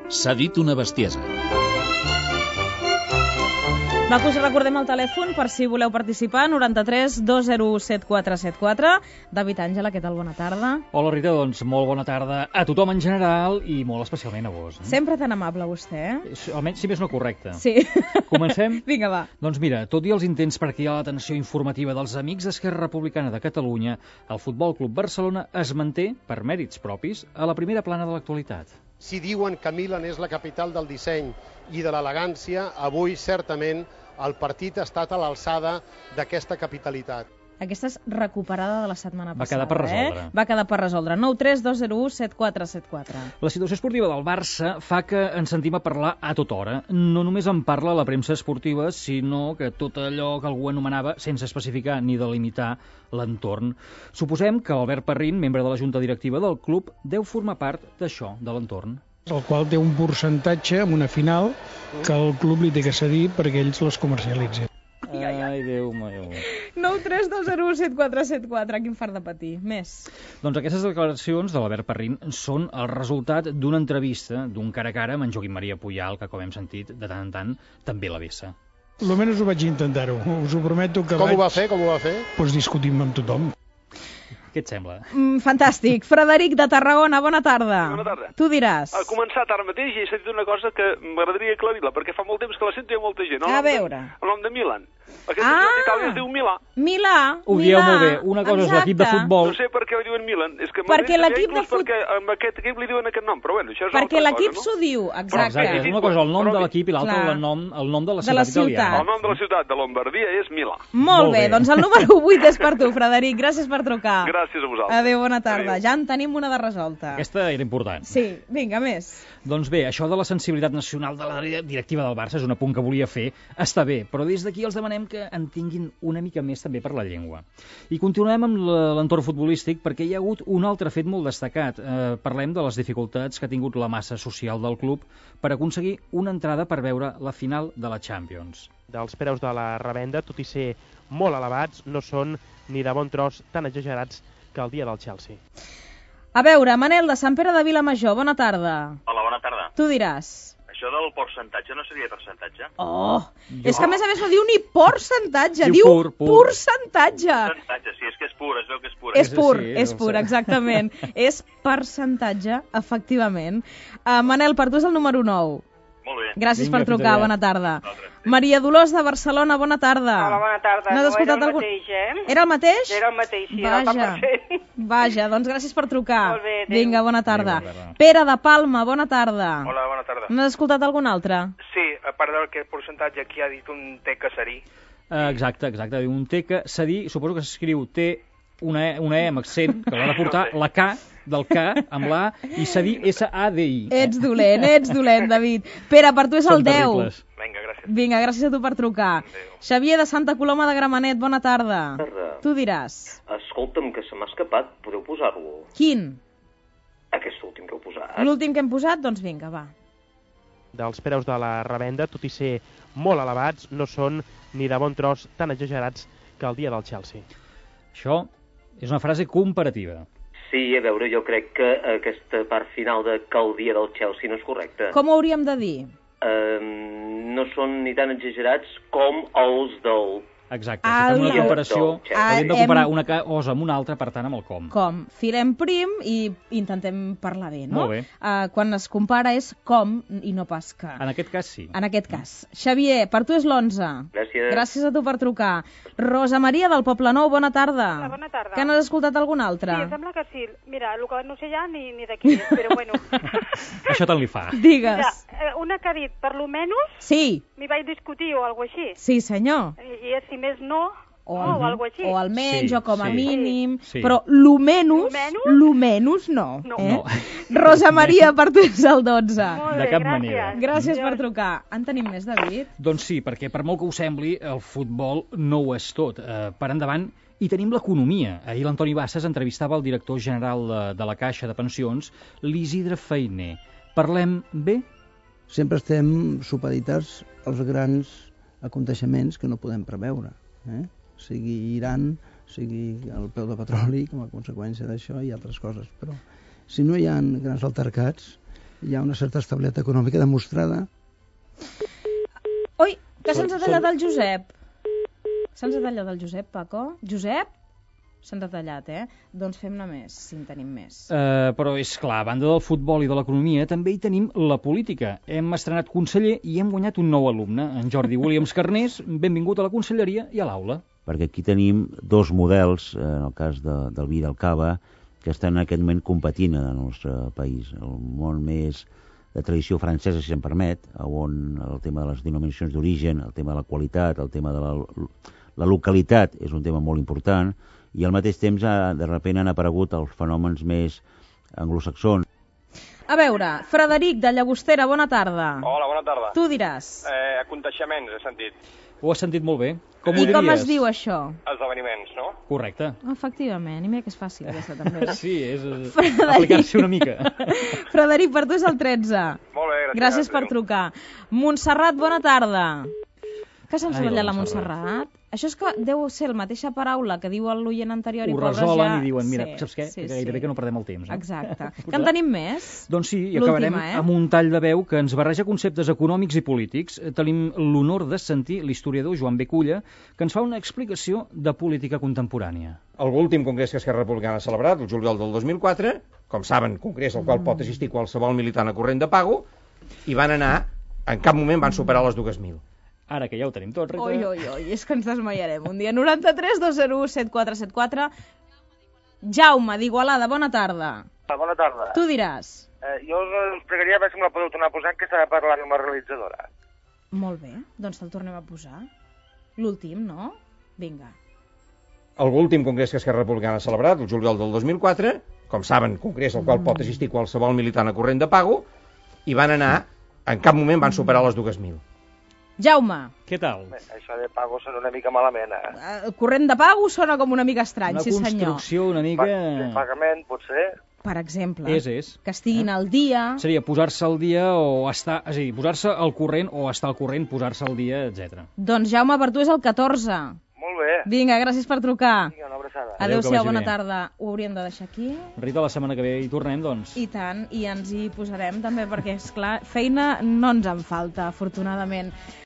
S'ha dit una bestiesa. Va, que us recordem el telèfon per si voleu participar, 93 201 7474. David Àngela, què tal? Bona tarda. Hola Rita, doncs molt bona tarda a tothom en general i molt especialment a vos. Sempre tan amable vostè, Almenys, si més no, correcte. Sí. Comencem? Vinga, va. Doncs mira, tot i els intents per cridar l'atenció informativa dels amics d'Esquerra Republicana de Catalunya, el Futbol Club Barcelona es manté, per mèrits propis, a la primera plana de l'actualitat. Si diuen que Milan és la capital del disseny i de l'elegància, avui certament el partit ha estat a l'alçada d'aquesta capitalitat. Aquesta és recuperada de la setmana passada. Va quedar per resoldre. Va quedar per resoldre. 93 201 7474. La situació esportiva del Barça fa que ens sentim a parlar a tota hora. No només en parla la premsa esportiva, sinó que tot allò que algú anomenava, sense especificar ni delimitar, l'entorn. Suposem que Albert Parrín, membre de la junta directiva del club, deu formar part d'això, de l'entorn. El qual té un percentatge en una final que el club li té que cedir perquè ells les comercialitzin. Ai, Déu meu. 93 201 7474. Quin fart de patir. Més. Doncs aquestes declaracions de l'Albert Parrín són el resultat d'una entrevista d'un cara a cara amb en Joaquim Maria Puyal, que, com hem sentit, de tant en tant també la vessa. Almenys ho vaig intentar-ho. Us ho prometo que Com ho va fer? Doncs discutim amb tothom. Què et sembla? Fantàstic. Frederic de Tarragona, bona tarda. Bona tarda. Tu diràs. Ha començat ara mateix i he sentit una cosa que m'agradaria aclarir-la, perquè fa molt temps que la sento i hi ha molta gent. A veure. El nom de Milan. Aquesta ciutat d'Itàlia es diu Milà. Milà. Ho dieu molt bé. Una cosa és l'equip de futbol. No sé per què li diuen Milan. És que perquè l'equip de futbol... Perquè amb aquest equip li diuen aquest nom, però bueno, això és perquè l'equip cosa, no? s'ho diu, exacte. Exacte. Una cosa és el nom de l'equip i l'altra el nom de la ciutat italiana. El nom de la ciutat de Lombardia és Milà. Molt bé, doncs el número 8 és per tu, Frederic. Gràcies per trucar. Gràcies a vosaltres. Adéu, bona tarda. Adéu. Ja en tenim una de resolta. Aquesta era important. Sí, vinga, més. Doncs bé, això de la sensibilitat nacional de la directiva del Barça és un apunt que volia fer. Està bé, però des d'aquí els demanem que en tinguin una mica més també per la llengua. I continuem amb l'entorn futbolístic perquè hi ha hagut un altre fet molt destacat. Parlem de les dificultats que ha tingut la massa social del club per aconseguir una entrada per veure la final de la Champions. Dels preus de la revenda, tot i ser molt elevats, no són ni de bon tros tan exagerats que el dia del Chelsea. A veure, Manel, de Sant Pere de Vilamajor, bona tarda. Hola, bona tarda. Tu diràs. Això del percentatge no seria percentatge? És que a més no diu ni percentatge, diu percentatge. Percentatge, sí, és que és pur, es veu que és pur. És pur, exactament. És percentatge, efectivament. Manel, per tu és el número 9. Molt bé. Gràcies per trucar, bona tarda. Maria Dolors de Barcelona, bona tarda. Hola, bona tarda. No, era el mateix, Era el mateix? Era el mateix, sí, Vaja, doncs gràcies per trucar. Molt bé, adéu. Vinga, bona tarda. Pere de Palma, bona tarda. Hola, bona tarda. N'has escoltat algun altre? Sí, a part del percentatge aquí ha dit un T que serí. Exacte, un T que serí, suposo que s'escriu T, una E amb accent, que l'ha de portar la K del K amb la A i cedir S-A-D-I. Ets dolent, David. Pere, per tu és el 10. Vinga, gràcies. Vinga, gràcies a tu per trucar. Xavier de Santa Coloma de Gramenet, bona tarda. Tu diràs. Escolta'm, que se m'ha escapat, podeu posar-lo? Quin? Aquest últim que heu posat. L'últim que hem posat? Doncs vinga, va. Dels preus de la revenda, tot i ser molt elevats, no són ni de bon tros tan exagerats que el dia del Chelsea. Això és una frase comparativa. Sí, a veure, jo crec que aquesta part final de que el dia del Chelsea no és correcta. Com ho hauríem de dir? No són ni tan exagerats com els del... Exacte, si fem una comparació, hauríem de comparar una cosa amb una altra, per tant, amb el com. Com. Filem prim i intentem parlar bé, no? Molt bé. Quan es compara és com i no pas que. En aquest cas, sí. En aquest cas. Xavier, per tu és l'11. Gràcies. Gràcies a tu per trucar. Rosa Maria del Poble Nou, bona tarda. Hola, bona tarda. Que n'has escoltat algun altre? Sí, em sembla que sí. Mira, el que no sé ja ni de qui és, però bueno. Això tant li fa. Digues. Mira, una que ha dit, per lo menos, sí. M'hi vaig discutir o alguna així. Sí, senyor. I és, si més no, o alguna així. O almenys, sí, o com a mínim. Sí. Però lo menys no. No. Rosa Maria, per tu és el 12. De cap manera. Gràcies per trucar. En tenim més, David? Doncs sí, perquè per molt que ho sembli, el futbol no ho és tot. Per endavant, i tenim l'economia. Ahir l'Antoni Bassas entrevistava el director general de la Caixa de Pensions, l'Isidre Feiner. Parlem bé? Sempre estem supeditats als grans aconteixements que no podem preveure. Sigui Iran, sigui el preu de petroli com a conseqüència d'això i altres coses. Però si no hi ha grans altercats, hi ha una certa estabilitat econòmica demostrada. Ui, que se'ns ha tallat el Josep. Se'ns ha tallat el Josep, Paco. Josep? Se'ns ha tallat, Doncs fem-ne més, si en tenim més. Però és clar, a banda del futbol i de l'economia, també hi tenim la política. Hem estrenat conseller i hem guanyat un nou alumne, en Jordi Williams Carnés. Benvingut a la conselleria i a l'aula. Perquè aquí tenim dos models, en el cas del vi i del cava, que estan en aquest moment competint en el nostre país. El món més de tradició francesa, si se'n permet, on el tema de les denominacions d'origen, el tema de la qualitat, el tema de la localitat és un tema molt important, i al mateix temps de sobte han aparegut els fenòmens més anglosaxons. A veure, Frederic de Llagostera, bona tarda. Hola, bona tarda. Tu diràs. Aconteixements, he sentit. Ho has sentit molt bé. Com ho I diries? com es diu això? Esdeveniments, no? Correcte. Efectivament, i mira que és fàcil aquesta també. Sí, és aplicar-s'hi una mica. Frederic, per tu és el 13. Molt bé, gràcies per trucar. Montserrat, bona tarda. Que se'ns ha ratllat la Montserrat? Això és que deu ser la mateixa paraula que diu l'oient anterior i pobres ja... Ho resolen i diuen, mira, saps què? Gairebé que no perdem el temps. Exacte. Que en tenim més? Doncs sí, i acabarem amb un tall de veu que ens barreja conceptes econòmics i polítics. Tenim l'honor de sentir l'historiador Joan B. Culla, que ens fa una explicació de política contemporània. L'últim congrés que Esquerra Republicana ha celebrat, el juliol del 2004, com saben, congrés al qual pot assistir qualsevol militant a corrent de pago, i van anar, en cap moment van superar les 2.000. Ara que ja ho tenim tot, Rita... Oi, és que ens desmaiarem. Un dia 93 201 7474. Jaume, d'Igualada, bona tarda. Bona tarda. Tu diràs. Jo us pregaria a veure si me la podeu tornar a posar, que s'ha de parlar amb la realitzadora. Molt bé, doncs te'l tornem a posar. L'últim, no? Vinga. L'últim congrés que Esquerra Republicana ha celebrat, el juliol del 2004, com saben, congrés al qual pot assistir qualsevol militant a corrent de pago, i van anar, en cap moment van superar les 2.000. Jaume. Què tal? Això de pago sona una mica malament, El corrent de pago sona com una mica estrany, sí senyor. Una construcció una mica... Pagament, potser. Per exemple. És. Que estiguin al dia... Seria posar-se al dia o estar... És a dir, posar-se al corrent o estar al corrent, posar-se al dia, etc. Doncs Jaume, per tu és el 14. Molt bé. Vinga, gràcies per trucar. Vinga, una abraçada. Adéu-siau, bona tarda. Ho hauríem de deixar aquí. Rita, la setmana que ve hi tornem, doncs. I tant, i ens hi posarem també, perquè, és clar, feina no ens en falta, afortunadament.